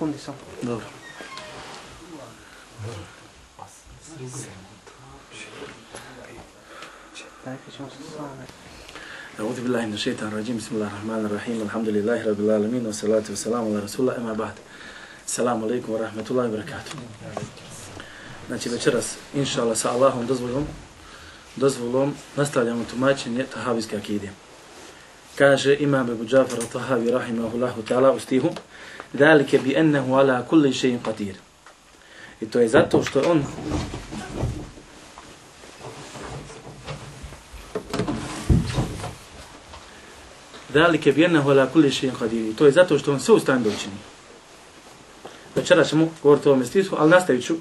sekundi samo. Dobro. Dakle, ćemo se same. A'udhu billahi minash shaitanir rajim. Bismillahirrahmanirrahim. Alhamdulillahi rabbil alamin. Wassalatu wassalamu ala rasulillah. Amma ba'd. Assalamu alaikum wa rahmatullahi wa barakatuh. Znači večeras, inšallah, sa Allahom dozvolom nastavljamo tumačenje tahavijske akide. Kaže Imam Ebu Džafar al-Tahavi rahimahullahu ta'ala u stihu: "Zalike bi annahu ala kulli shay'in qadir." I to je zato što on Zalike bi annahu ala kulli shay'in qadir. I to je zato što on sve u stanju da učini. Večeras ćemo govoriti o ovome stihu, ali nastavit ću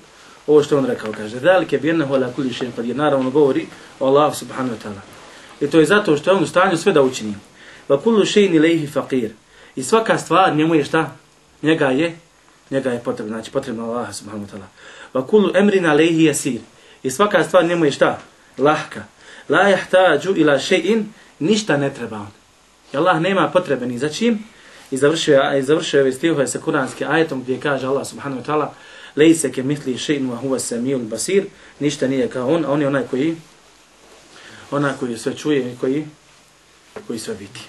ovo što on rekao. Kaže: "Zalike bi annahu ala kulli shay'in qadir." Naravno govori o Allahu subhanahu wa ta'ala. I to je zato što je on u stanju sve da učini. Va kullu shay'in ilayhi faqir. I svaka stvar njemu je šta? Njega je potrebno, znači potrebno Allah subhanahu wa ta'ala. Va kullu amrin alayhi yasir. I svaka stvar njemu je šta? Lahka. La yahtaju ila shay'in, ništa ne treba on. I Allah nema potrebe ni za čim. I završio ove stihove sa kuranskim ajetom gdje kaže Allah subhanahu wa ta'ala: "Lejse ke mitli shay'in wa huwa as-sami'ul basir." Ništa nije kao on, a on je onaj koji sve čuje i koji sve vidi.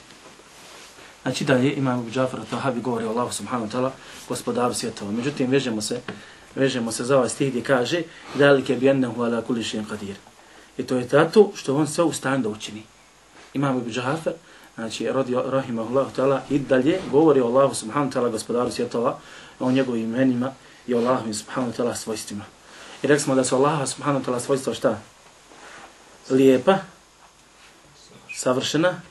Znači dalje Imam Ebu Džafar al-Tahavi govori o Allahu subhanahu wa ta'ala, gospodaru svjetova. Međutim, vežemo se za ovaj stih gdje kaže: "Zalike bi annahu ala kulli shay'in qadir." I to je zato što on sve u stanju da učini. Imam Ebu Džafar, znači rahimahullahu ta'ala, i dalje govori o Allahu subhanahu wa ta'ala, gospodaru svjetova, o njegovim imenima i o Allahu subhanahu wa ta'ala svojstvima. I rekli smo da su Allaha subhanahu wa ta'ala svojstva šta? Lijepa, savršena,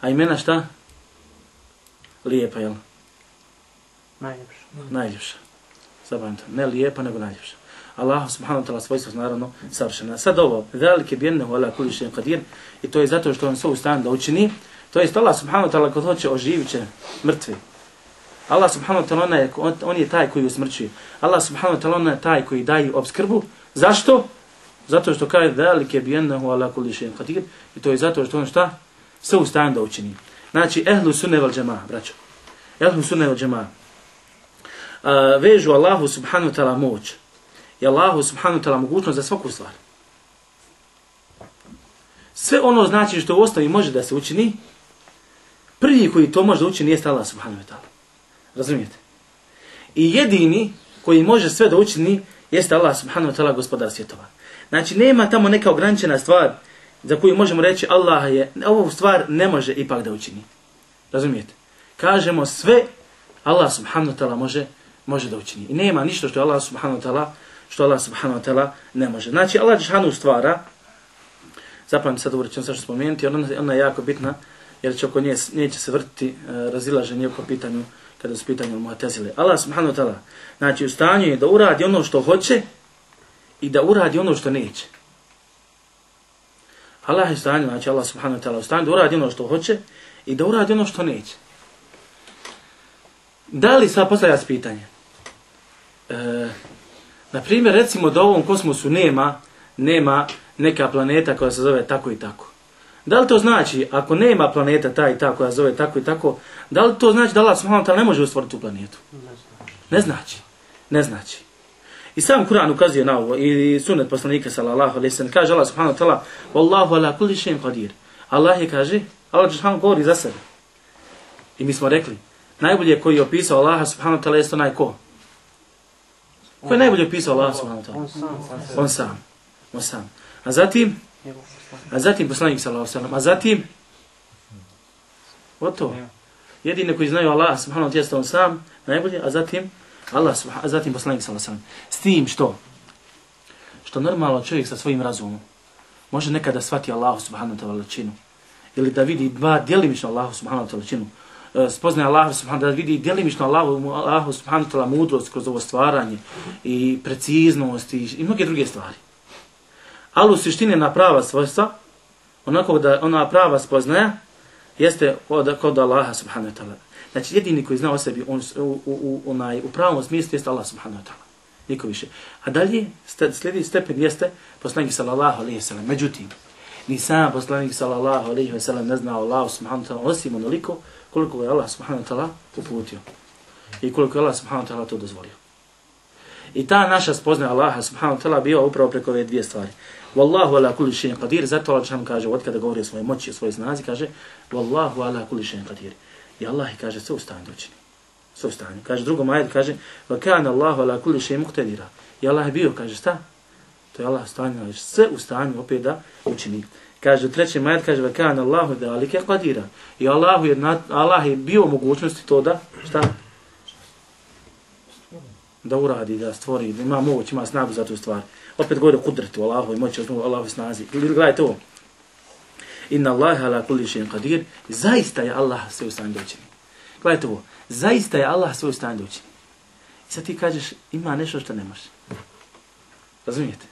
a imena šta? Lijepa, jel? Najljepša. Zabavim to. Ne lijepa, nego najljepša. Allah subhanahu wa ta'ala svojstva su naravno savršena. Sad ovo, zalike bi annahu ala kulli shay'in qadir, i to je zato što on sve u stanju da učini. To jest Allah subhanahu wa ta'ala kad hoće oživit će mrtve. Allah subhanahu wa ta'ala on je taj koji usmrćuje. Allah subhanahu wa ta'ala on je taj koji daje opskrbu. Zašto? Zato što kaže zalike bi annahu ala kulli shay'in qadir, i to je zato što on šta? Sve u stanju da učini. Znači ehlu sunne vel džemaa, braćo. Ehlu sunne vel džemaa vežu Allahu subhanahu wa ta'ala moć i Allahu subhanahu wa ta'ala mogućnost za svaku stvar. Sve ono znači što u osnovi može da se učini, prvi koji to može da učini jeste Allah subhanahu wa ta'ala. Razumijete? I jedini koji može sve da učini jeste Allah subhanahu wa ta'ala, gospodar svjetova. Znači nema tamo neka ograničena stvar za koju možemo reći Allah je, ovu stvar ne može ipak da učini. Razumijete? Kažemo sve Allah subhanahu wa ta'ala može da učini. I nema ništa što Allah subhanahu wa ta'ala ne može. Znači Allah džeshanu stvara, zapamtim sad ovo ćemo sve što spomenuti, ona je jako bitna, jer će oko nje neće se vrtiti razilaženje po pitanju, kada su pitanju Mu'tazile. Allah subhanahu wa ta'ala, znači u stanju je da uradi ono što hoće i da uradi ono što neće. Allah je u stanju, znači Allah subhanahu wa ta'ala u stanju da uradi ono što hoće i da uradi ono što neće. Da li sad postavlja se pitanje? Na primjer, recimo da u ovom kosmosu nema neka planeta koja se zove tako i tako. Da li to znači, ako nema planeta ta i ta koja se zove tako i tako, da li to znači da Allah subhanahu wa ta'ala ne može stvoriti tu planetu? Ne znači. I sam Kur'an ukazuje na ovo, i sunnet poslanika sallallahu alejhi ve sellem, kaže Allah subhanahu wa ta'ala: "Wallahu ala kulli shay'in qadir." Allah je kaže, Allah džeshanu govori za sebe. I mi smo rekli, najbolje koji je opisao Allaha subhanahu wa ta'ala jeste onaj ko? Ko je najbolje opisao Allaha subhanahu wa ta'ala? On sam. A zatim poslanik sallallahu alejhi ve sellem, a zatim gotovo. Jedini koji znaju Allaha subhanahu wa ta'ala jeste on sam, najbolje, a zatim poslanik sallallahu alejhi ve sellem. S tim što normalno čovjek sa svojim razumom može nekada shvati Allahu subhanahu wa ta'ala veličinu, ili da vidi djelimično Allahu subhanahu wa ta'ala veličinu, spoznaje Allahu subhanahu wa ta'ala, da vidi djelimično Allahu subhanahu wa ta'ala mudrost kroz ovo stvaranje i preciznost i mnoge druge stvari. Ali u suštini na prava svojstva, onako da ona prava spoznaja jeste kod Allaha subhanahu wa ta'ala. Znači jedini koji zna o sebi u pravom smislu jeste Allah subhanahu wa ta'ala. Niko više. A dalje slijedi stepen jeste poslanik sallallahu alejhi ve sellem. Međutim, ni sam poslanik sallallahu alejhi ve sellem ne zna Allahu subhanahu wa ta'ala osim onoliko koliko je Allah subhanahu wa ta'ala uputio. i koliko je Allah subhanahu wa ta'ala to dozvolio. I ta naša spoznaja Allaha subhanahu wa ta'ala bio upravo preko ove dvije stvari. Wallahu ala kulli shay'in qadir, zato Allah dželle kaže, od kada govori o svojoj moći, o svojoj snazi, kaže Wallahu ala kulli shay'in qadir. I Allah kaže sve u stanju učini. Sve u stanju. Kaže drugom ajetu kaže wa kana Allahu ala kulli shay'in muqtadira. I Allah je bio, kaže šta? To je Allah u stanju, sve u stanju opet da učini. Kaže u trećem ajetu kaže wa kana Allahu zalika qadira. I Allah je bio u mogućnosti to da šta? Da uradi, da stvori, da ima moć, ima snagu za tu stvar. Opet govori o kudretu, Allahovoj moći, o Allahovoj snazi. Gledajte ovo. Inna Allaha ala kulli shay'in qadir. Zaista je Allah sve u stanju da učini. Gledajte ovo. Zaista je Allah sve u stanju da učini. I sad ti kažeš, ima nešto što ne može. Razumijete?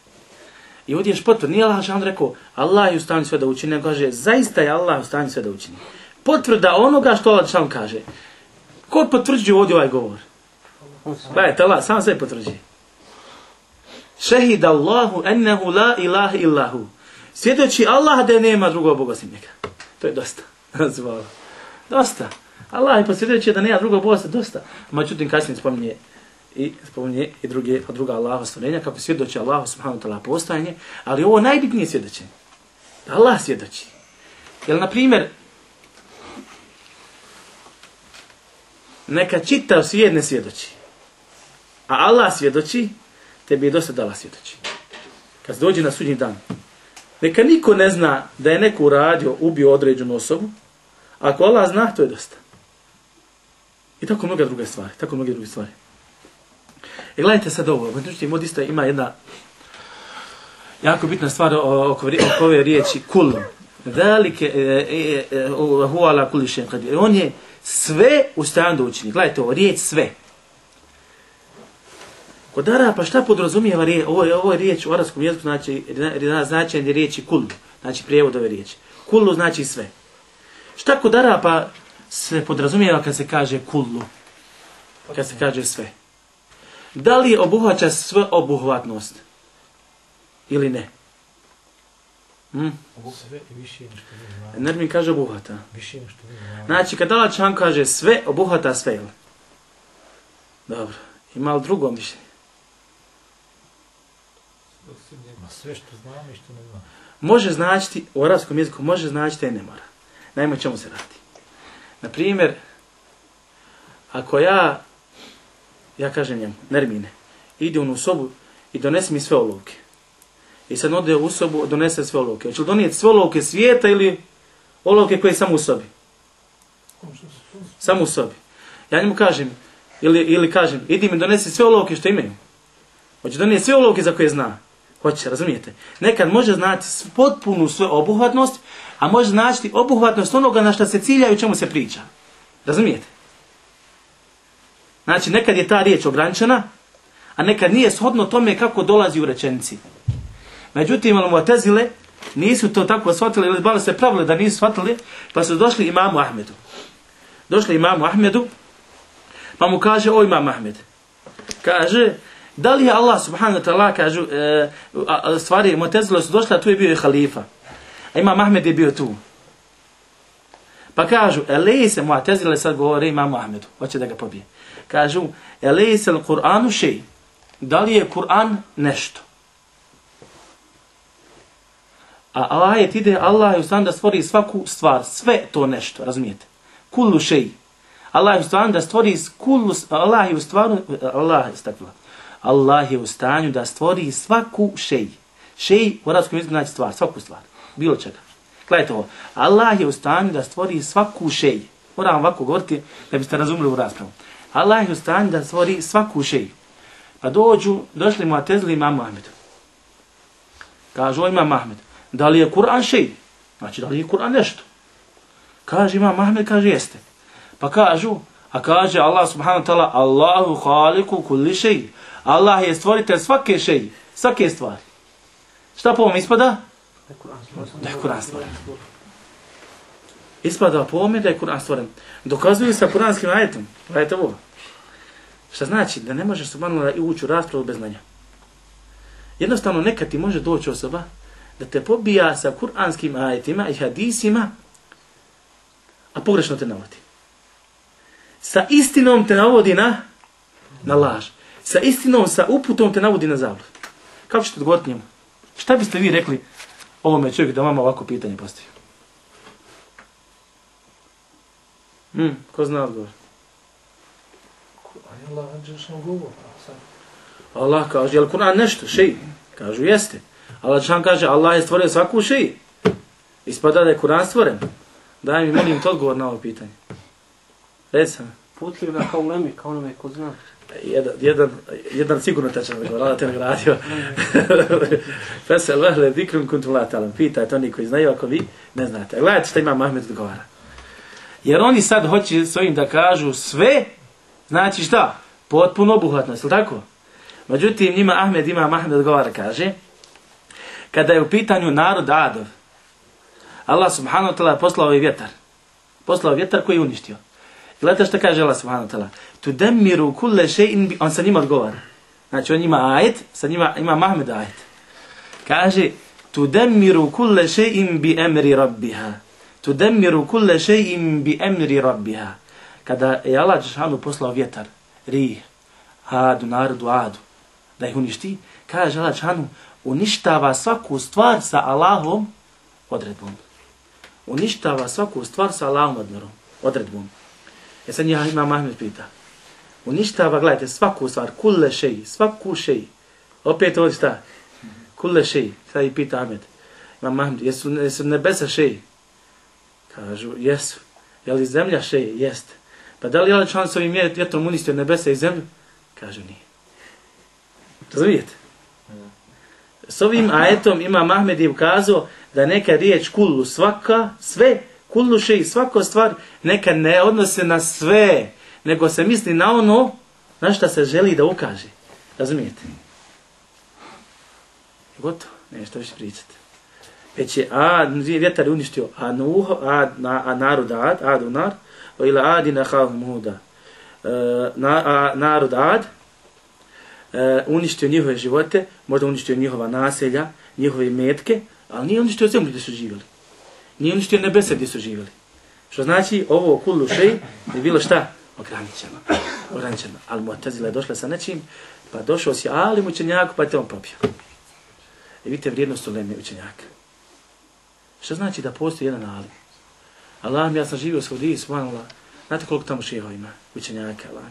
I ovdje je potvrd. Nije Allah šan rekao, Allah je u stanju sve da učini, nego kaže, zaista je Allah u stanju sve da učini. Potvrda onoga što Allah šan kaže. Ko potvrđuje ovdje ovaj govor? Gledajte, Allah sam sve potvrđuje. Šehida Allahu ennehu la ilaha illahu. Svjedoči Allah da nema drugog Boga osim njega. To je dosta. Dosta. Allah je posvjedoči da nema drugog Boga, dosta. Međutim, kasnije spominje i druga Allaha stvorenja, kako svjedoči Allahu subhanahu wa ta'ala postojanje, ali ovo najbitnije svjedočenje. Da Allah svjedoči. Jer, na primjer, neka čitav svijet ne svjedoči, a Allah svjedoči, tebi je dosta da Allah svjedoči. Kad dođe na sudnji dan, neka niko ne zna da je neko uradio, ubio određenu osobu, ako Allah zna, to je dosta. I tako mnoge druge stvari. I gledajte sad ovo, međutim, ovdje isto ima jedna jako bitna stvar oko ove riječi kullu. Velike huwa ala kulli shay'in qadir. On je sve u stanju da učini. Gledajte ovo, riječ sve. Kod Arapa šta podrazumijeva riječ? Ovo je riječ u arapskom jeziku, znači značenje riječi kullu, znači prijevod ove riječi. Kullu znači sve. Šta kod Arapa se podrazumijeva kad se kaže kullu? Kad se kaže sve. Da li obuhvaća sve obuhvatnost? Ili ne? Sve i više nešto ne. Nermin kaže obuhvata. Više nešto ne. Znači kad Allah čan kaže sve, obuhvata sve. Dobro. Ima li drugo mišljenje? Sve što znam i što ne znam. Može značiti, u arapskom jeziku može značiti i ne mora. Naime, čemu se radi? Naprimjer, ako ja kažem njemu, Nermine, ide on u sobu i donesi mi sve olovke. I sad ode u sobu, donese sve olovke. Hoće li donijeti sve olovke svijeta ili olovke koje je samo u sobi? Samo u sobi. Ja njemu kažem, ili kažem, idi mi donesi sve olovke što imaju. Hoće donijeti sve olovke za koje zna. Hoće, razumijete? Nekad može znati potpunu svoju obuhvatnost, a može značiti obuhvatnost onoga na što se cilja i o čemu se priča. Razumijete? Znači, nekad je ta riječ ograničena, a nekad nije shodno tome kako dolazi u rečenici. Međutim, Mu'tezile nisu to tako shvatili, ili bali se pravili da nisu shvatili, pa su došli imamu Ahmedu. Pa mu kaže, o imam Ahmed, kaže, da li je Allah subhanahu wa ta'ala, kažu, stvari, Mu'tezile su došli, a tu je bio i halifa. A imam Ahmed je bio tu. Pa kažu, elejse Mu'tezile sad govore imamu Ahmedu, hoće da ga pobije. Kažu, elejse l-Qur'anu šej, da li je Kur'an nešto? A ajet ide, Allah je u stanju da stvori svaku stvar, sve to nešto, razumijete? Kullu šej. Allah je u stanju da stvori Allah je u stanju da stvori svaku šej. Šej u arapskom jeziku znači stvar, svaku stvar, bilo čega. Gledajte ovo, Allah je u stanju da stvori svaku šej. Moram ovako govoriti da biste razumili u raspravu. Allah je u stanju da stvori svaku šej. Pa došli Mu'tezili imamu Ahmedu. Kažu, imam Ahmed, da li je Kur'an šej? Znači, da li je Kur'an nešto? Kaže imam Ahmed, kaže jeste. Pa kažu, a kaže Allah subhanahu wa ta'ala, Allahu khaliku kulli šej. Allah je stvoritelj svake šej, svake stvari. Šta po ovom ispada? Da je Kur'an stvoren. Ispada po ovome da je Kur'an stvoren. Dokazuju sa kuranskim ajetom. Gledajte ovo. Šta znači? Da ne možeš subhanallah ući u raspravu bez znanja. Jednostavno nekad ti može doći osoba da te pobija sa kuranskim ajetima i hadisima, a pogrešno te navodi. sa istinom te navodi na laž. Sa istinom, sa uputom te navodi na zabludu. Kako ćete odgovoriti njemu? Šta biste vi rekli ovome čovjeku da vama ovako pitanje postavio? Ko zna odgovor? Allah Đelešanu govor. Allah kaže, jel Kur'an nešto? Šeji. Kažu, jeste. Allah Đelešan kaže, Allah je stvorio svaku šeji. Ispada da je Kur'an stvoren. Daj mi, molim te odgovor na ovo pitanje. Reci sam. Putljiv da kao ulemi, kao onome ko zna. Jedan sigurno tečan odgovor, Allah te nagradio. Fesel vehle dikrum kuntum la ta'lam. Pitajte oni koji znaju, ako vi ne znate. Gledajte što ima Ahmed odgovara. Jer oni sad hoće s ovim da kažu sve, znači šta? Potpuno obuhvatnost, je li tako? Međutim, njima Ahmed odgovara, kaže, kada je u pitanju narod Adov, Allah subhanahu wa ta'ala poslao ovaj vjetar. Poslao vjetar koji je uništio. Gledajte što kaže Allah subhanahu wa ta'ala. Tudemmiru kulle še'in, on sa njima odgovara. Znači on ima ajet, sa njima ima Ahmed ajet. Kaže, tudemmiru kulle še'in bi emri rabbiha. Tudemmiru kulle še'in bi emri rabbiha. Kada je Allah Đelešanu poslao vjetar, rih, Adu, narodu Adu, da ih uništi, kaže Allah Đelešanu, uništava svaku stvar sa Allahom odredbom. Uništava svaku stvar sa Allahom odredbom. Sad ja imam Ahmed pita. Uništava, gledajte, svaku stvar, kulle šeji, svaku šeji. Opet ovdje šta? Kulle šeji. Sad i pita Ahmed. Imam Ahmed, jesu nebesa šeji? Kažu, jesu. Je li zemlja šeji? Jeste. Pa da li je član s ovim vjetrom uništio nebesa i zemlju? Kažu, nije. Razumijete? S ovim ajetom Imam Ahmed je ukazao da neka riječ kullu, svaka, sve, kullu šeji, svaka stvar, neka ne odnose na sve, nego se misli na ono na šta se želi da ukaže. Razumijete? Gotovo, nešto više pričate. Već je vjetar uništio narod Adu nar, ila adina khahum huda. Narod Ad uništio njihove živote, možda uništio njihova naselja, njihove metke, ali nije uništio zemlju gdje su živjeli. Nije uništio nebesa gdje su živjeli. Što znači ovo kullu šej je bilo šta? Ograničeno. Ali Mu'tazila je došla sa nečim, pa došao si alim učenjaku, pa te on propio. I vidite vrijednost uleme učenjaka. Što znači da postoji jedan alim? Allah, ja sam živio u Saudiji, subhanallah, znate koliko tamo šeha ima učenjaka, Allah.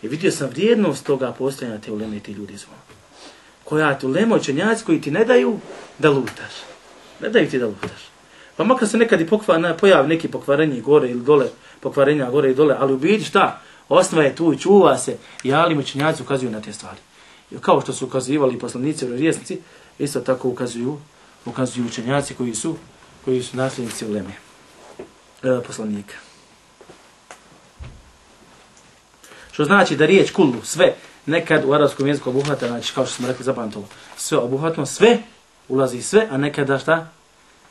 I vidio sam vrijednost toga postojanja te uleme i ti ljudi zvona. Koja ti ulema učenjaci koji ti ne daju da lutaš. Ne daju ti da lutaš. Pa makar se nekad i pojavi neki pokvarenje gore ili dole, pokvarenja gore i dole, ali u biti šta? Osnova je tu i čuva se i alim učenjaci ukazuju na te stvari. I kao što su ukazivali poslanici i vjerovjesnici, isto tako ukazuju učenjaci koji su nasljednici uleme poslanika. Što znači da riječ kullu, sve, nekad u arapskom jeziku obuhvata, znači kao što smo rekli zapamtilo, sve obuhvatno, sve, ulazi sve, a nekada šta?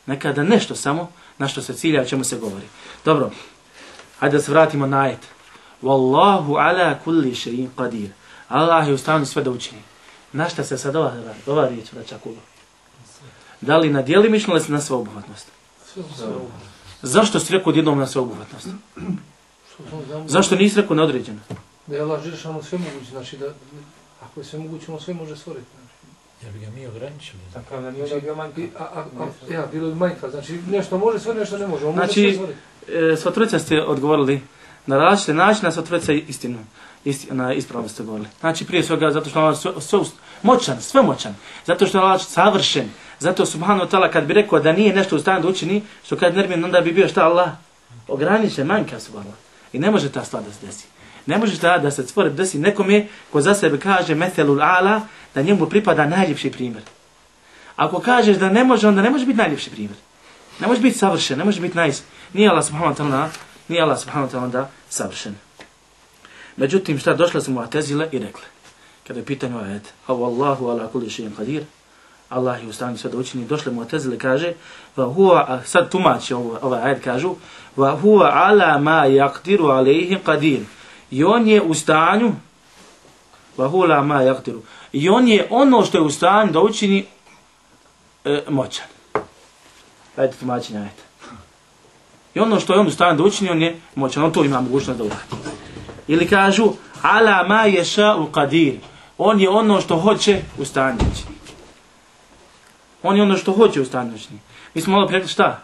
Nekada nešto samo, na što se cilja, o čemu se govori. Dobro, hajde da se vratimo na ajet. Wallahu ala kulli shay'in qadir. Allah je u stanju sve da učini. Na šta se sad ova riječ vraća kullu? Da li na djelimično ili na sveobuhvatnost? Zašto si rekao odjednom na sveobuhvatnost? Zašto nisi rekao na određeno? Da je Allah Đelešanu sve moguće, znači da ako je sve moguće, ono sve može stvoriti. Ja bi ga mi ograničili. Tako da nije bio manjka. Ja, bilo bi manjka, znači nešto može sve, nešto ne može. On znači, može sve stvoriti. Sva ste odgovorili na različite načine, a sva trojica ispravno ste govorili. Znači prije svega zato što Allah moćan, sve moćan, zato što Allah savršen, zato subhanahu wa ta'ala kad bi rekao da nije nešto u stanju da učini, što kad nermin, onda bi bio šta Allah? Ograničen, manjka subhanahu. I ne može ta stvar da se desi. Ne može da se stvore desi nekome ko za sebe kaže methelul ala, da njemu pripada najljepši primjer. Ako kažeš da ne može, onda ne može biti najljepši primjer. Ne može biti savršen, ne može biti nije Allah subhanahu wa ta'ala da savršen. Međutim, šta došla su Mu'tazile i rekle, kada je pitanje ajet, Allahu ala kulli shay'in qadir, Allah je u stanju sve da učini, došle Mu'tazile kaže, sad tumači ovaj ajet kažu, wa huwa ala ma yaqdiru alayhi qadir. I on je u stanju, wa huwa ala ma yaqdiru. I on je ono što je u stanju da učini moćan. Ajde tumačenje ajeta. I ono što je on u stanju da učini, on je moćan, on to ima mogućnost da uradi. Ili kažu ala ma yasha'u qadir. On je ono što hoće u stanju učini. On je ono što hoće u stanju učini. Mi smo malo rekli šta?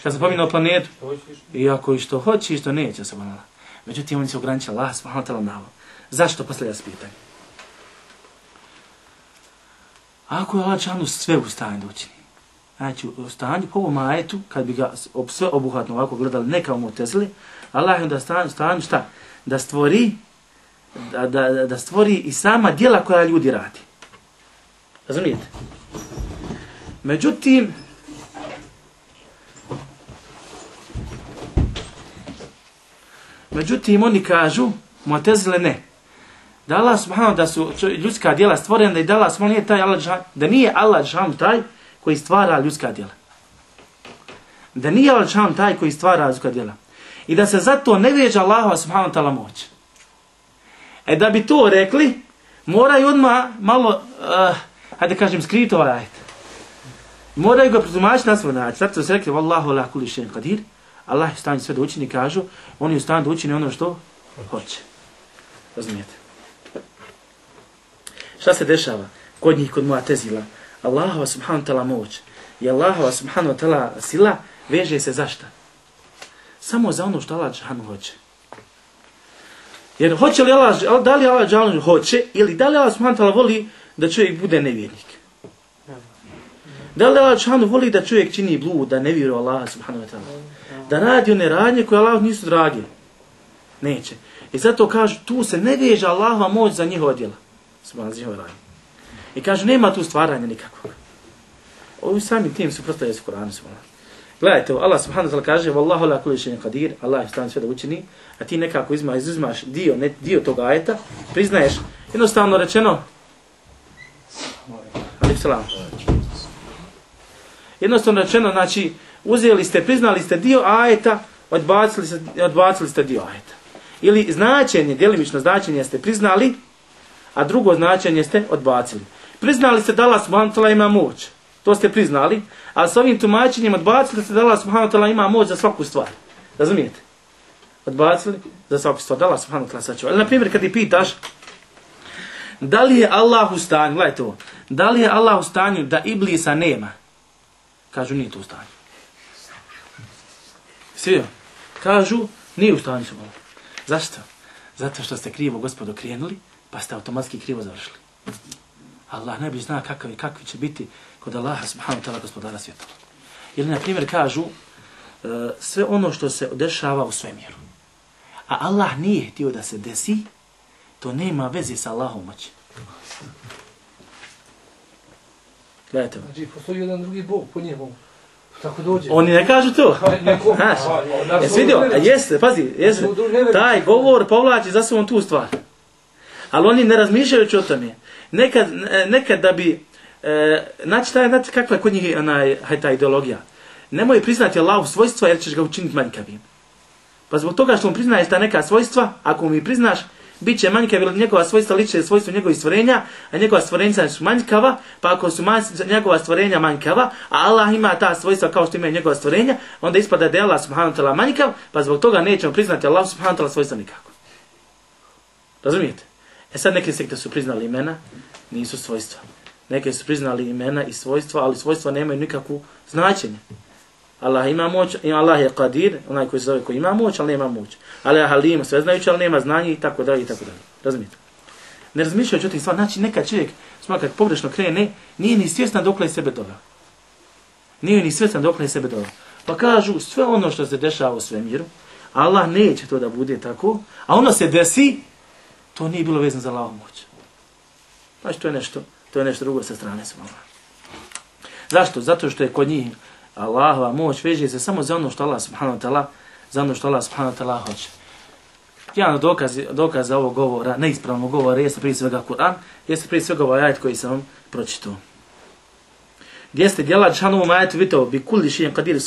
Šta se pominao planetu? Iako i što hoće i što neće se ponala. Međutim, oni se ograničili Allah subhanahu wa ta'ala na ovo. Zašto? Posljednja se pitanje. Ako je Allah dželešanu sve u stanju da učini, znači u stanju po ovom ajetu, kad bi ga sve obuhvatno ovako gledali, neka Mu'tezili, Allah je onda stanju šta? Da stvori, da stvori i sama djela koja ljudi radi. Razumijete? Međutim, oni kažu, Mu'tezile ne. Da Allah subhanahu da su ljudska djela stvorena i da Allah subhanahu nije taj Allah, da nije Allah dželešanu taj koji stvara ljudska djela. Da nije Allah dželešanu taj koji stvara ljudska djela. I da se zato ne veže Allahova subhanahu ta'ala moć. Da bi to rekli, moraju odmah malo, hajde kažem, skriti ovaj ajet. Moraju ga protumačiti na svoj način. Zato se rekli, Wallahu ala kulli shay'in qadir. Allah je u stanju sve da učini, kažu, on je u stanju da učini ono što hoće. Razumijete? Šta se dešava kod njih, kod Mu'tezila? Allahova subhanahu ta'ala moć i Allahova subhanahu ta'ala sila veže se za šta? Samo za ono što Allah dželešanu hoće. Jer hoće li Allah, da li Allah dželešanu hoće ili da li Allah subhanahu ta'ala voli da čovjek bude nevjernik? Da li Allah dželešanu voli da čovjek čini blud, da ne vjeruje Allah subhanahu ta'ala? Da radi one radnje koje Allah nisu drage? Neće. I zato kažu, tu se ne veže Allahova moć za njihova djela. I kažu, nema tu stvaranja nikakvog. Ovi sami tim su prosto jesu Kur'anu. Gledajte, Allah subhanahu wa ta'ala kaže, Wallahu ala kulli shay'in qadir, Allah je u stanju sve da učini, a ti nekako izuzimaš dio tog ajeta, priznaješ, jednostavno rečeno, znači, uzeli ste, priznali ste dio ajeta, odbacili ste dio ajeta. Ili značenje, djelimično značenje ste priznali, a drugo značenje ste odbacili. Priznali ste da Allah subhanahu wa ta'ala ima moć. To ste priznali, a s ovim tumačenjem odbacili ste da Allah subhanahu wa ta'ala ima moć za svaku stvar. Razumijete? Odbacili za svaku stvar. Da Allah subhanahu wa ta'ala sačuva. Ali na primjer kad ti pitaš da li je Allah u stanju, gledajte ovo, da li je Allah u stanju da Iblisa nema? Kažu nije to u stanju. Svi kažu nije u stanju. Zašto? Zato što ste krivo Gospodu krenuli, pa ste automatski krivo završili. Allah najbolje zna kakvi će biti kod Allaha subhanahu wa ta'ala gospodara svjetova. Ili na primjer kažu sve ono što se dešava u svemiru. A Allah nije htio da se desi, to nema veze sa Allahom moći. Gledajte. Znači, postoji jedan drugi Bog po njemu. Tako dođe. Oni ne kažu to. Znaš, jesi vidio? Jeste, pazi, jeste. Taj govor povlači za sobom tu stvar. Ali oni ne razmišljajući o tome. Nekad da bi, znači kakva je kod njih ta ideologija. Nemoj priznati Allahu svojstva jer ćeš ga učiniti manjkavim. Pa zbog toga što mu priznaješ ta neka svojstva, ako mi priznaš, bit će manjkav jer njegova svojstva liče svojstvo njegovih stvorenja, a njegova stvorenja su manjkava, pa ako su njegova stvorenja manjkava, a Allah ima ta svojstva kao što ima njegova stvorenja, onda ispada da je Allah subhanahu wa ta'ala manjkav, pa zbog toga nećemo priznati Allah subhanahu wa ta'ala svojstva nikako. Razumijete? Sad neke sekte su priznali imena, nisu svojstva. Neke su priznali imena i svojstva, ali svojstva nemaju nikakvu značenje. Allah ima moć, Allah je Qadir, onaj koji se zove koji ima moć, ali nema moć. Allah je Halim, sveznajući, ali nema znanje i tako dalje i tako dalje. Razumijete? Ne razmišljajući o tim stvarima, znači nekad čovjek, kad pogrešno krene, nije ni svjestan dokle je sebe doveo. Nije ni svjestan dokle je sebe doveo. Pa kažu sve ono što se dešava u svemiru, Allah neće to da bude tako, a ono se desi, to nije bilo vezano za Allahovu moć. Znači to je nešto drugo sa strane svojega. Zašto? Zato što je kod njih Allahova moć veže se samo za ono što Allah subhanahu wa ta'ala, za ono što Allah subhanahu wa ta'ala hoće. Jedan od dokaza ovog govora, neispravnog govora, jeste prije svega Kur'an, jeste prije svega ovaj ajet koji sam vam pročitao. Gdje ste djela džanovom ajetu vitao bi kulli shay'in qadir,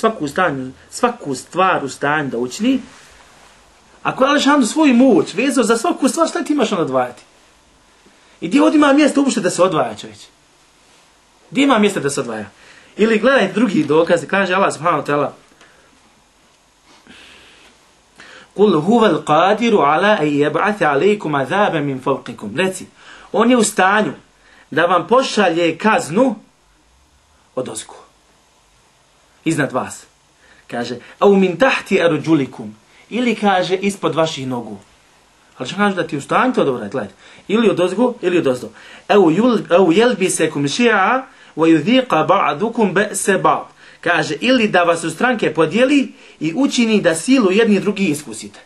svaku stvar u stanju da učini. Ako je Allah svoju moć vezao za svaku stvar, šta ti imaš onda odvajati? I gdje ovdje ima mjesto uopšte da se odvaja čovječ? Gdje ima mjesto da se odvaja? Ili gledajte drugi dokaz, kaže Allah subhanahu wa ta'ala Kul huval qadiru ala an yab'atha alaykum azaban min fawqikum. Reci, on je u stanju da vam pošalje kaznu odozgo. Iznad vas. Kaže, au min tahti arjulikum. Ili kaže ispod vaših nogu. Ali što kaže da ti u stanju to dobro gledajte. Ili odozgo, ili odozdo. Au yelbisakum shi'a wa yudhiqa ba'dukum ba'sa ba'd. Kaže, ili da vas u stranke podijeli i učini da silu jedni drugi iskusite.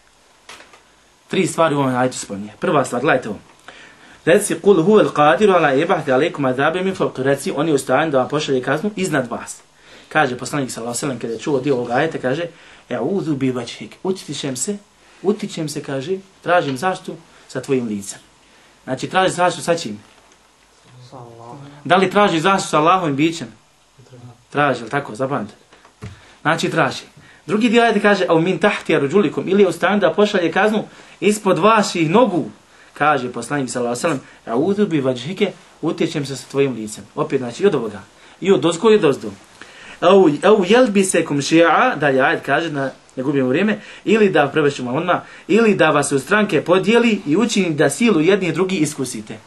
3 stvari u ovom ajetu spominje. Prva stvar, gledajte ovo. Reci, kul huvel qadiru ala yab'ath alaykum azaban min fawq. Reci, on je u stanju da vam pošalje kaznu iznad vas. Kaže poslanik sallallahu alejhi ve sellem kada je čuo dio ovog ajeta, kaže: "E'udhu bi wajhik." Utičem se, kaže, tražim zaštitu sa tvojim licem. Znači, traži zaštitu sa čim? Da li traži zaštitu sa Allahovim bićem? Traži, ali tako, zapamtite. Znači, traži. Drugi dio ajeta kaže: "Au min tahti arjulikum." Ili je u stanju da pošalje kaznu ispod vaših nogu. Kaže poslanik sallallahu alejhi ve sellem: "A'udhu bi wajhike." Utičem se sa tvojim licem. Opet, znači, i od ovoga. I od dozgo i od ozdo. Au yelbisakum shi'a, dalje ajet kaže, ne gubimo vrijeme, ili da prevešimo odmah, ili da vas u stranke podijeli i učini da silu jedni drugi iskusite.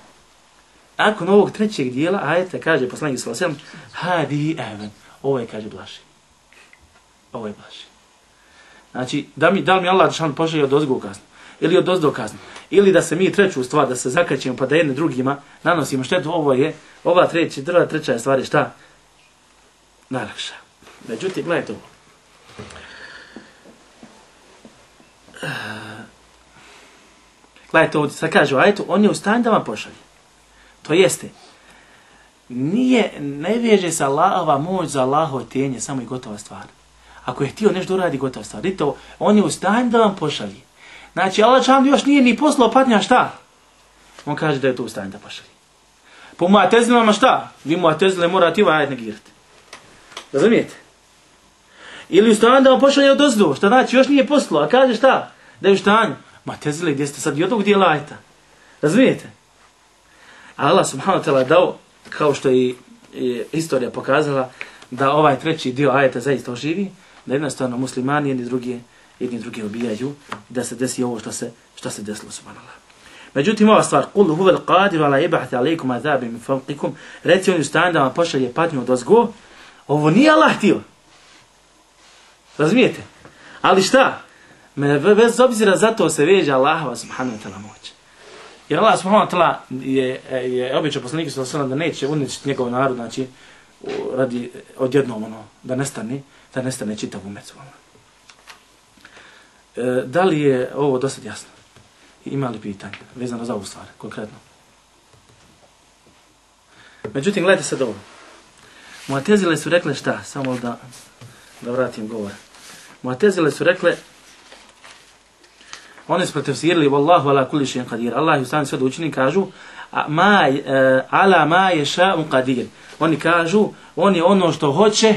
Nakon ovog trećeg dijela ajeta kaže poslanik sallallahu alejhi ve sellem: "Hadi avan." Ovo je, kaže, blaži. Ovo je blaži. Znači, da li mi Allah džan pošalje od ozgo kaznu, ili od ozdo kaznu, ili da se mi treću stvar, da se zakačimo pa da jedne drugima nanosimo štetu, ova treća stvar je šta? Najlakša. Međutim, gledajte ovo. Gledajte ovdje, sad kaže u ajetu, on je u stanju da vam pošalje. To jeste, ne veže se Allahova moć za Allahovo tijenje, samo i gotova stvar. Ako je htio nešto uradi, gotova stvar. Vidite ovo, on je u stanju da vam pošalje. Znači, Allah čam još nije ni poslao patnja šta? On kaže da je to u stanju da pošalje. Po mu'tezilama šta? Vi mu'tezile morate ovaj ajet negirati. Razumijete? Ili u stanju da vam pošalje od ozdo. Šta znači? Još nije poslao. A kaže šta? Da je u stanju. Mu'tezile, gdje ste sad i od ovog dijela ajeta. Razumijete? Allah subhanahu wa ta'ala dao, kao što je istorija pokazala, da ovaj treći dio ajeta zaista oživi, da jednostavno muslimani jedni drugi ubijaju, da se desi ovo što se desilo, subhanallah. Međutim, ova stvar, kul huvel qadiru ala yab'ath alaykum azaban min fawqikum, reci on u stanju da vam pošalje patnju odozgo, ovo nije Allah htio. Razumijete? Ali šta? Bez obzira zato se veže Allahova subhanahu wa ta'ala moć. Jer Allah subhanahu wa ta'ala je običao poslaniku sallallahu alejhi ve sellem da neće uništiti njegov narod, znači radi odjednom da nestane čitav umet. Da li je ovo dosta jasno? Ima li pitanje vezano za ovu stvar konkretno? Međutim, gledajte sad ovo. Mu'tezile su rekle šta? Samo da vratim govor. Mu'tezile su rekle, oni su pretefsirili Wallahu ala kulli shay'in qadir. Allah je u stanju sve da učini, kažu ala ma yasha'u qadir. Oni kažu, on je ono što hoće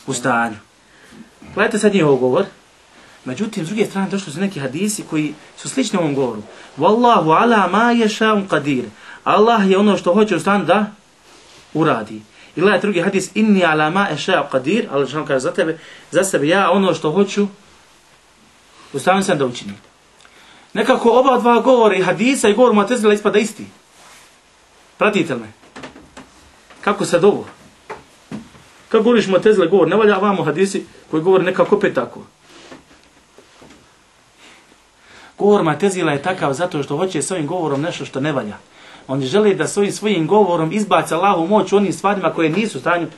u stanju. Gledajte sad njihov govor. Međutim, s druge strane došli su neki hadisi koji su slični ovom govoru. Wallahu ala ma yasha'u qadir. Allah je ono što hoće u stanju da uradi. I gledajte drugi hadis, inni ala ma yasha'u qadir. Allah što kaže za sebe, ja ono što hoću u stanju sam da učinim. Nekako oba dva govore i hadisa i govor Mu'tezila ispada isti. Pratite li me? Kako sad ovo? Kako govoriš Mu'tezila govor? Ne valja vamo hadisi koji govore nekako opet tako. Govor Mu'tezila je takav zato što hoće s ovim govorom nešto što ne valja. Oni žele da svojim govorom izbaci Allahu moć u onim stvarima koje nisu u stanju,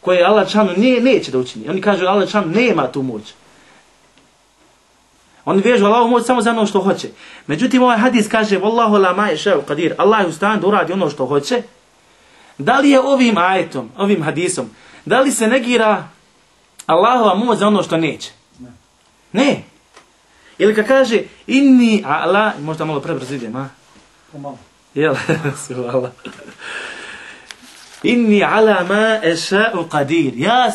koje Allah džanu neće da učini. Oni kažu Allah džanu nema tu moć. Oni vežu Allahu moć samo za ono što hoće. Međutim, ovaj hadis kaže Wallahu la ma yasha'u qadir. Allah je u stanju da uradi ono što hoće. Da li je ovim ajetom, ovim hadisom, da li se negira Allahova moć za ono što neće? Ne. Ili kad kaže inni ala, možda malo prebrzo idem, a? Pomalo. Jel, subhanallah. Inni ala ma yasha'u qadir. Ja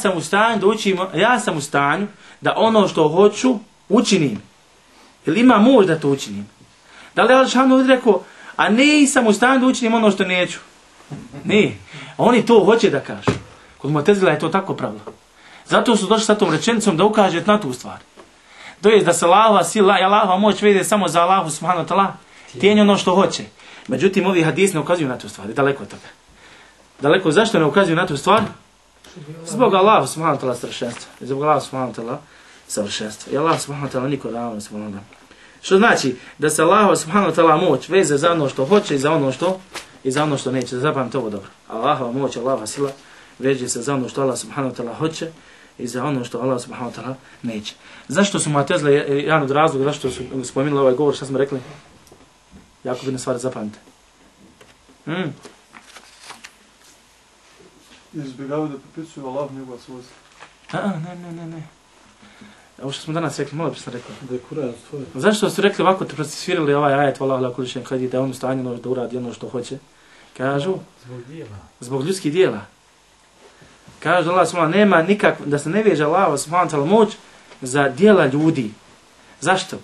sam u stanju da ono što hoću učinim. Ili ima moć da to učinim? Da li Allah šanu rekao, a nisam u stanju da učinim ono što neću? Ne. Oni to hoće da kažu. Kod Mu'tezila je to tako pravilo. Zato su došli sa tom rečenicom da ukaže na tu stvar. To je da se Allahova sila i Allahova moć vede samo za Allahu subhanahu wa ta'ala, tijenje ono što hoće. Međutim, ovi hadisi ne ukazuju na tu stvar, daleko od toga. Daleko, zašto ne ukazuju na tu stvar? Zbog Allahu subhanahu wa ta'ala savršenstva. Zbog Allahu subhanahu wa ta'ala savršenstva. I Allah subhanahu wa ta'ala niko ravno subhanahu wa ta'ala. Što znači da se Allahu subhanahu wa ta'ala moć veze za ono što hoće i za ono što neće. Zapamte ovo dobro. Allahova moć, Allahova sila veže se za ono što Allah subhanahu wa ta'ala hoće i za ono što Allah subhanahu wa ta'ala neće. Zašto su Mu'tezile, jedan od razloga zašto su spomenuli ovaj govor, šta smo rekli? Jako bitna stvar, zapamte. Izbjegavaju da pripisuju Allah njegova svojstva. Ne. Ovo što smo danas rekli, malo sam rekao. Da je Kur'an stvorio. Zašto su rekli ovako, te procesirali ovaj ajet, Wallahu ala kulli shay'in qadir, da on stanjeno da uradi ono što hoće? Kažu, zbog ljudskih dijela. Kažu Allah subhanahu nema nikak, da se ne veže Allah subhanahu ta'ala moć za dijela ljudi. Zašto?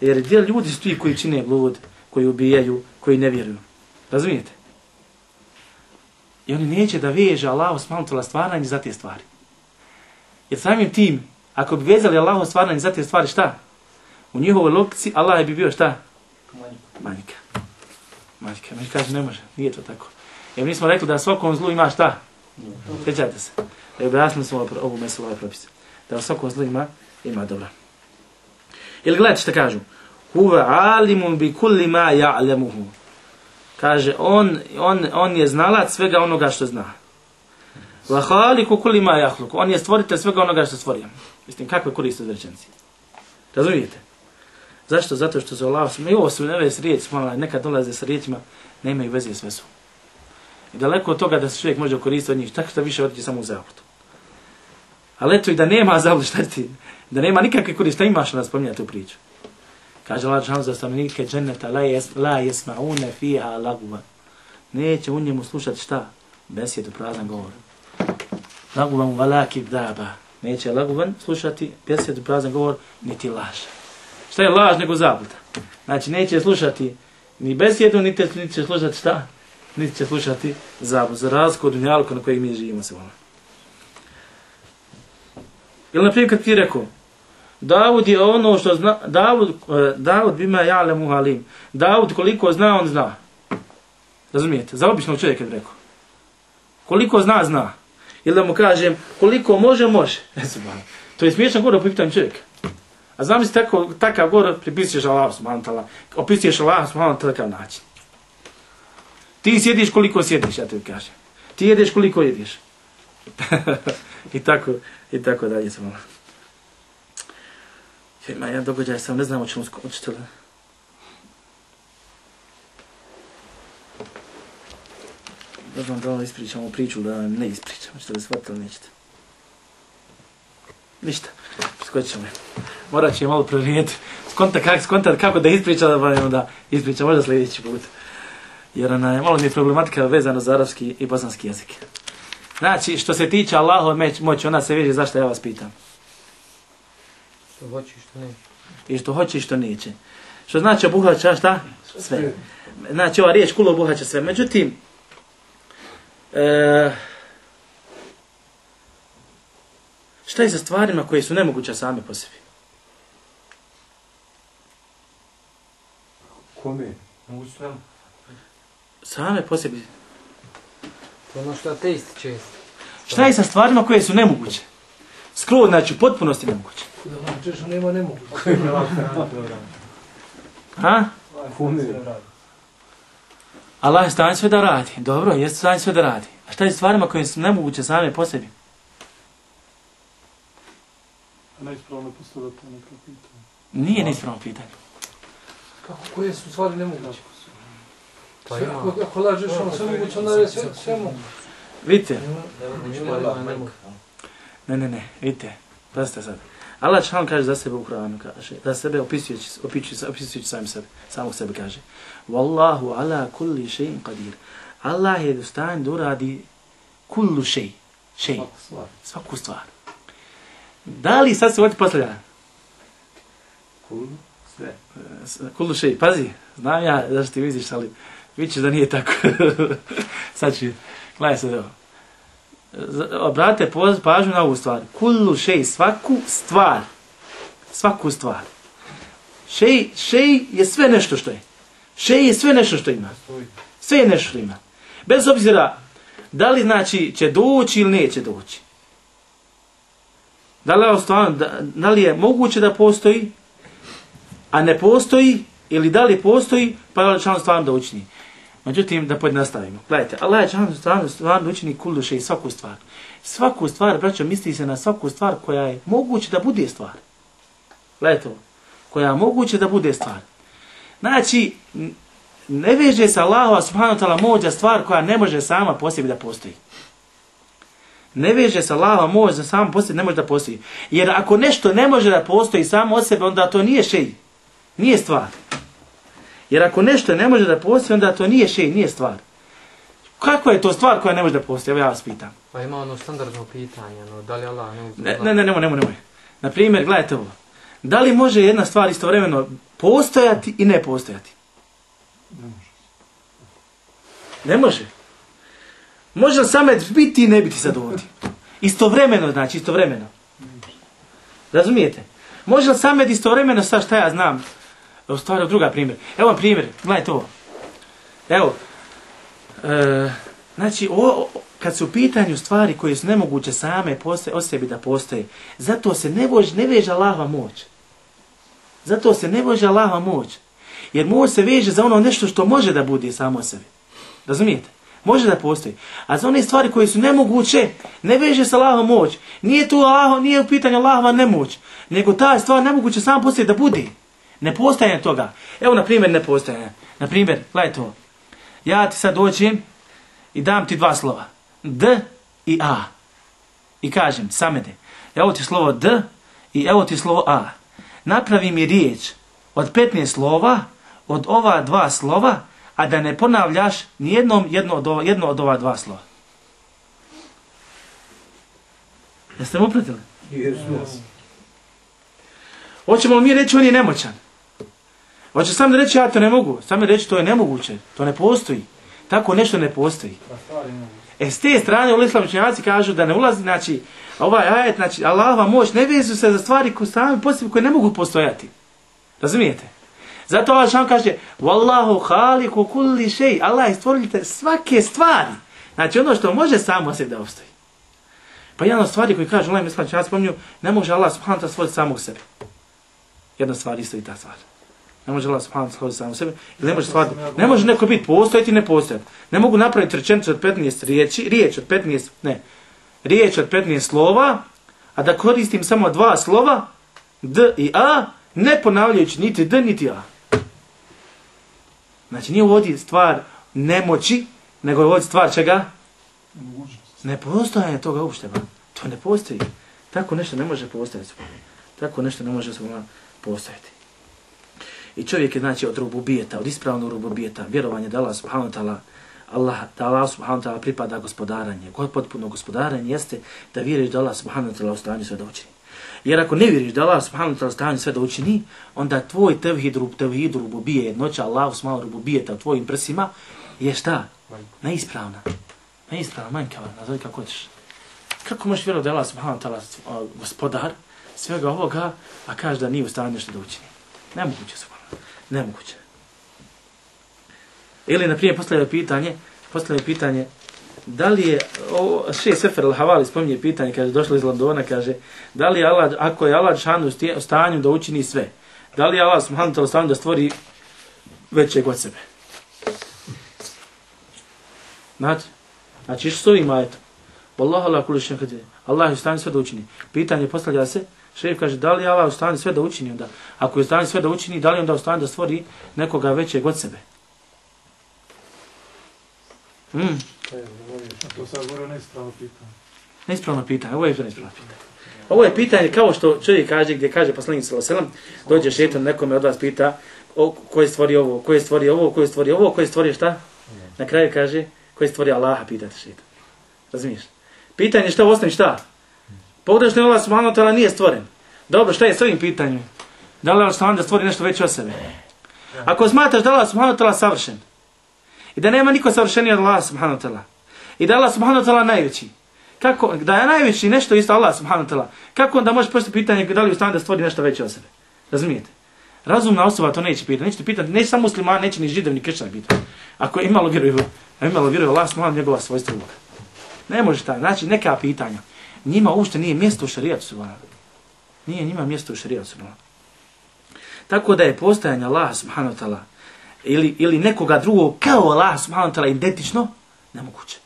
Jer dijela ljudi su ti koji čine blud, koji ubijaju, koji ne vjeruju. Razumijete? I oni neće da veže Allah subhanahu ta'ala stvaranje za te stvari. Jer samim tim, ako bi vezali Allahu stvaranje za te stvari, šta? U njihovoj logici Allah bi bio šta? Manjka. Mi kažu ne može, nije to tako. Jer mi smo rekli da svakom zlu ima šta? Sjećate se. Da objasnili smo ovu meselu ovaj propis. Da svakom zlu ima dobra. Ili gledajte šta kažu. Huwa alimun bi kulli ma ja'lemuhu. Kaže, on je znalac svega onoga što zna. Wa khaliqu kulli ma yakhluq. On je stvoritelj svega onoga što stvorio. Mislim, kakve koriste od rečenici? Razumijete? Zašto? Zato što su Allah, i ovo su neve s riječi, nekad dolaze sa riječima, ne imaju veze sve su. I daleko od toga da se čovjek može koristiti od njih, tako što više otići samo u zabludu. Ali eto i da nema zabludu, šta ti? Da nema nikakve koriste, šta imaš da spominjati tu priču? Kaže Allah džan za stanovnike dženneta, la jesma'une fiha laguva. Neće u njemu slušati šta? Besjedu, prazan govor. Laguvan valaki daba. Neće laguvan slušati besjedu, prazan govor, niti laž. Šta je laž nego zabluda? Znači neće slušati ni besjedu, niti će slušati šta? Niti će slušati zabludu. Za razliku od dunjaluka na kojeg mi živimo se ono. Ili naprimjer kad ti rekao, Davud je ono što zna, Davud bima ja'lemu halim. Davud koliko zna, on zna. Razumijete? Za običnog čovjeka bi rekao. Koliko zna, zna. Ili da mu kažem, koliko može, može. To je smiješan govor o pitanju čovjeka. A znam si takav govor pripisuješ Allah subhanahu wa ta'ala. Opisuješ Allah subhanahu wa ta'ala takav način. Ti sjediš koliko sjediš, ja tebi kažem. Ti jedeš koliko jediš. I tako dalje sam malo. Ima jedan događaj, sam ne znam o čemu skočite li. Ne znam da vam ispričamo priču, da vam ne ispričamo. Čete li shvatili, nećete. Ništa, skočit ćemo. Morat će malo prorijediti. Skontat kako da ispriča, da ispriča možda sljedeći put. Jer malo mi je problematika vezana za arapski i bosanski jezik. Znači, što se tiče Allahove moći, ona se veže zašto ja vas pitam. Što hoće i što neće. I što hoće i što neće. Što znači obuhvaća šta? Sve. Znači ova riječ kul obuhvaća sve. Međutim, šta je sa stvarima koje su nemoguće same po sebi? Kome? Mogu su nam. Same po sebi. To ono što ateisti često. Šta je sa stvarima koje su nemoguće? Skroz, znači, u potpunosti nemoguće. Da vam češto nema nemoguće. Ha? Kome? Allah je stanj sve da radi. Dobro, jeste stanj sve da radi. A šta je stvarima koje su nemoguće same po sebi? A neispravno postavljati neka pitanja. Nije neispravno pitanje. Kako, koje su stvari nemoguće? Pa ako lažeš ono sve moguće, onda je sve moguće. Vidite. Ne, vidite. Pazite sad. Allah član kaže za sebe u Kur'anu, kaže, za sebe opisujući samog sebe kaže. Wallahu ala kulli shay'in qadir. Allah je dostan da uradi kullu shay. Svaku stvar. Da li sad se ovdje postavlja? Kullu shay, pazi. Znam ja zašto ti vidiš, ali vidiš da nije tako. Sad ću, gledaj se ovo. Obratite pažnju na ovu stvar. Kullu shay, svaku stvar. svaku stvar. Šej je sve nešto što je. Šej je sve nešto što ima. Sve je nešto što ima. Bez obzira da li znači će doći ili neće doći. Da li je moguće da postoji, a ne postoji, ili da li postoji, pa je član stvarno da učini. Međutim, da pojednostavimo. Gledajte, Allah je stvarno da učini kullu šej, svaku stvar. Svaku stvar, braćo, misli se na svaku stvar koja je moguće da bude stvar. Gledajte ovo. Koja je moguće da bude stvar. Znači, ne veže se Allahova subhanahu wa ta'ala moć za stvar koja ne može sama po sebi da postoji. Ne veže se Allahova moć za sama po sebi ne može da postoji. Jer ako nešto ne može da postoji samo od sebe, onda to nije šej. Nije stvar. Jer ako nešto ne može da postoji, onda to nije šej, nije stvar. Kakva je to stvar koja ne može da postoji? Evo ja vas pitam. Pa ima ono standardno pitanje, no, da li Allah nemoj. Naprimjer, gledajte ovo. Da li može jedna stvar istovremeno postojati i ne postojati? Ne može. Može li samet biti i ne biti sad ovdje? Istovremeno, znači, istovremeno. Razumijete? Može li samet istovremeno, sad šta ja znam? U stvari, druga primjer. Evo vam primjer, gledajte ovo. Evo, znači, kad su u pitanju stvari koje su nemoguće same o sebi da postoje, zato se ne veže Allahova moć. Zato se ne veže Allahova moć. Jer moć se veže za ono nešto što može da bude samo o sebi. Razumijete? Može da postoji. A za one stvari koje su nemoguće, ne veže se Allahova moć. Nije u pitanju Allahova nemoć, nego ta stvar nemoguće samo postoji da bude. Ne postojanje toga. Evo, na primjer, ne postojanje. Na primjer, gledaj to. Ja ti sad dođem i dam ti dva slova. D i A. I kažem, samede, evo ti slovo D i evo ti slovo A. Napravi mi riječ od 15 slova, od ova dva slova, a da ne ponavljaš nijednom jedno od ova dva slova. Jeste mu upratili? Yes. Hoćemo li mi reći on je nemoćan? Hoće sam da reći ja to ne mogu. Sam da reći to je nemoguće. To ne postoji. Tako nešto ne postoji. S te strane islamski učenjaci kažu da ne ulazi, znači, ovaj ajet, znači, Allahova moć ne vezu se za stvari koje same postoje, koje ne mogu postojati. Razumijete? Zato Allah šan kaže, Wallahu haliku kulli šej. Allah je stvoritelj svake stvari. Znači, ono što može samo sebi da obstoji. Pa jedna od stvari koji kaže, Allah islamski učenjaci spominju, ne može Allah subhanahu wa ta'ala stvoriti samog sebe. Jedna stvar isto i ta stvar. Ne može Allah subhanahu wa ta'ala stvoriti samog sebe. Ne može neko biti postojati i ne postojati. Ne mogu napraviti rečenicu od 15 riječ od 15 slova, a da koristim samo dva slova, D i A, ne ponavljajući niti D niti A. Znači nije ovdje stvar nemoći, nego je ovdje stvar čega? Ne postojanje toga uopšte. To ne postoji. Tako nešto ne može postojati. Tako nešto ne može postojati. I čovjek je znači od rububijeta, od ispravnog rububijeta, vjerovanje da Allah subhanahu wa ta'ala pripada gospodaranje. Potpuno gospodaranje jeste da vjeriš da Allah subhanahu wa ta'ala u stanju sve da učini. Jer ako ne vjeriš da Allah subhanahu wa ta'ala u stanju sve da učini, onda tvoj tevhid rububije, jednoća Allah subhanahu rububijeta u tvojim prsima je šta? Neispravna. Neispravna, manjkava, nazove kako hoćeš. Kako možeš vjerovati da Allah subhanahu wa ta'ala gospodar svega ovoga, a kaže da nije u stanju nešto da učini? Nemoguće su. Nemoguće. Ili, na primjer, postavljaju pitanje, da li je, Šejh Sefer al-Havali spominje pitanje, kaže, došlo iz Londona, kaže, da li je Allah, ako je Allah šanu u stanju da učini sve, da li je Allah subhanahu wa ta'ala u stanju da stvori većeg od sebe? Znači, što s ovim ajetom? Wallahu ala kulli shay'in qadir. Allah je u stanju sve da učini. Pitanje postavlja se, Šejh kaže, da li je Allah u stanju sve da učini onda? Ako je u stanju sve da učini, da li je onda u stanju da stvori nekoga većeg od sebe? To sad govorio neispravno pitanje. Neispravno pitanje, ovo je neispravno pitanje. Ovo je pitanje kao što čovjek kaže, gdje kaže poslanik sallallahu alejhi ve sellem, dođe šejtan nekome od vas pita, ko je stvorio ovo, ko je stvorio ovo, ko je stvorio ovo, ko je stvorio šta? Na kraju kaže, ko je stvorio Allaha, pitate šejtan. Razumiješ? Pitanje šta u osnovi šta? Pogledaš da Allah subhanahu wa ta'ala nije stvoren. Dobro, šta je s ovim pitanjem? Da li Allah subhanahu da stvori nešto veće od sebe? Ako smatraš da Allah subhanahu wa ta'ala savršen, i da nema niko savršeniji od Allah subhanahu wa ta'ala, i da Allah subhanahu wa ta'ala najveći, Kako, da je najveći nešto isto Allah subhanahu wa ta'ala, kako onda može postaviti pitanje da li je u stanju da stvori nešto veće od sebe? Razumijete? Razumna osoba to neće pitati. Neće pitati, neće samo musliman, neće ni židev, ni kršćan pitati. Ako je imalo vjeruje Allah subhanahu njegova svojstva Boga. Ne može tako. Znači neka pitanja. Njima uopšte nije mjesto u šerijatu subhanahu. Nije njima mjesto u šerijatu subhanahu. Tako da je postojanje Allah subhanahu wa ta'ala ili nekoga drugog kao Allah subhanahu wa ta'ala identično, nemoguće.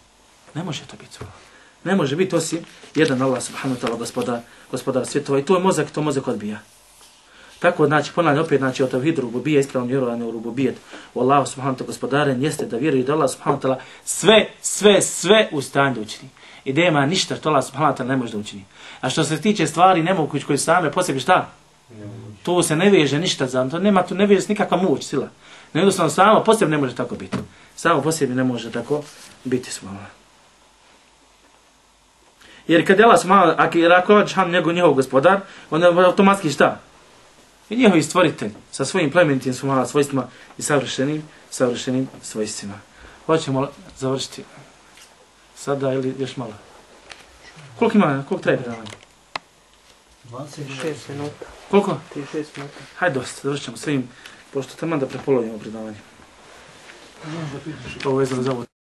Ne može to biti subhanahu. Ne može biti osim jedan Allah subhanahu wa ta'ala gospodar svjetova i to mozak odbija. Tako znači ponavljam opet znači o tevhidu rububije ispravno vjerovanje u rububijet u Allahu subhanahu wa ta'ala gospodaren jeste da vjeruje da Allah subhanahu wa ta'ala sve u stanju da učini. I da nema ništa što Allah subhanahu wa ta'ala ne može da učini. A što se tiče stvari nemoguće koje same po sebi šta? To se ne veže ništa za to, nema tu ne veže nikakva moć, sila. Jednostavno samo po sebi ne može tako biti. Samo po sebi ne može tako biti subhanallah. Jer kad je Allah subhanahu wa ta'ala, ako je njegov gospodar, onda je automatski šta? I njihovi stvoritelj sa svojim plemenitim svojstvima i savršenim svojstvima. Hoćemo završiti sada ili još malo? Koliko treba predavanje? 26 minuta. Koliko? 36 minuta. Hajde dosta, završćemo svim, pošto tamo da prepolovimo predavanje. Ovo je za ovo.